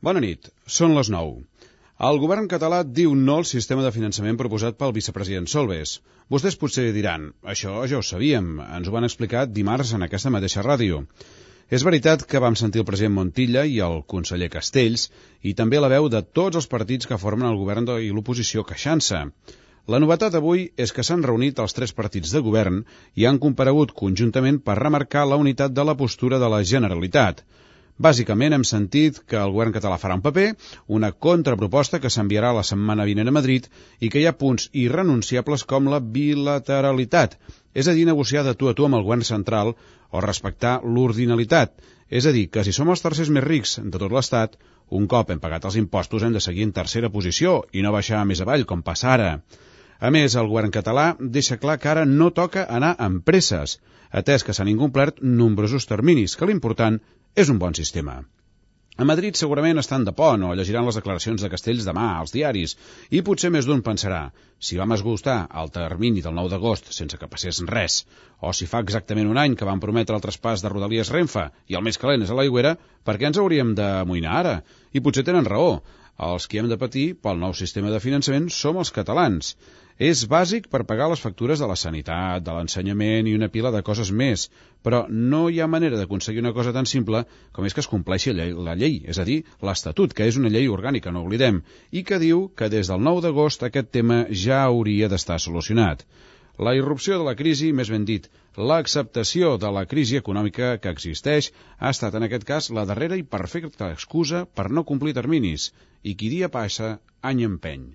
Bona nit, són les 9. El govern català diu no al sistema de finançament proposat pel vicepresident Solbes. Vostès potser diran, això ja ho sabíem, ens ho van explicar dimarts en aquesta mateixa ràdio. És veritat que vam sentir el president Montilla i el conseller Castells i també la veu de tots els partits que formen el govern i l'oposició queixant-se. La novetat avui és que s'han reunit els tres partits de govern i han comparegut conjuntament per remarcar la unitat de la postura de la Generalitat. Bàsicament hem sentit que el govern català farà un paper, una contraproposta que s'enviarà la setmana vinent a Madrid i que hi ha punts irrenunciables com la bilateralitat, és a dir, negociar de tu a tu amb el govern central o respectar l'ordinalitat, és a dir, que si som els tercers més rics de tot l'Estat, un cop hem pagat els impostos hem de seguir en tercera posició i no baixar més avall com passa ara. A més, el govern català deixa clar que ara no toca anar amb presses, atès que s'han incomplert nombrosos terminis, que l'important és un bon sistema. A Madrid segurament estan de pont o llegiran les declaracions de Castells demà als diaris i potser més d'un pensarà si vam esgustar el termini del 9 d'agost sense que passés res o si fa exactament un any que van prometre el traspàs de Rodalies Renfe i el més calent és a l'Aigüera, per què ens hauríem d'amoïnar ara? I potser tenen raó. Els que hem de patir pel nou sistema de finançament som els catalans. És bàsic per pagar les factures de la sanitat, de l'ensenyament i una pila de coses més, però no hi ha manera d'aconseguir una cosa tan simple com és que es compleixi la llei, és a dir, l'Estatut, que és una llei orgànica, no oblidem, i que diu que des del 9 d'agost aquest tema ja hauria d'estar solucionat. La irrupció de la crisi, més ben dit, l'acceptació de la crisi econòmica que existeix, ha estat en aquest cas la darrera i perfecta excusa per no complir terminis, i qui dia passa, any empeny.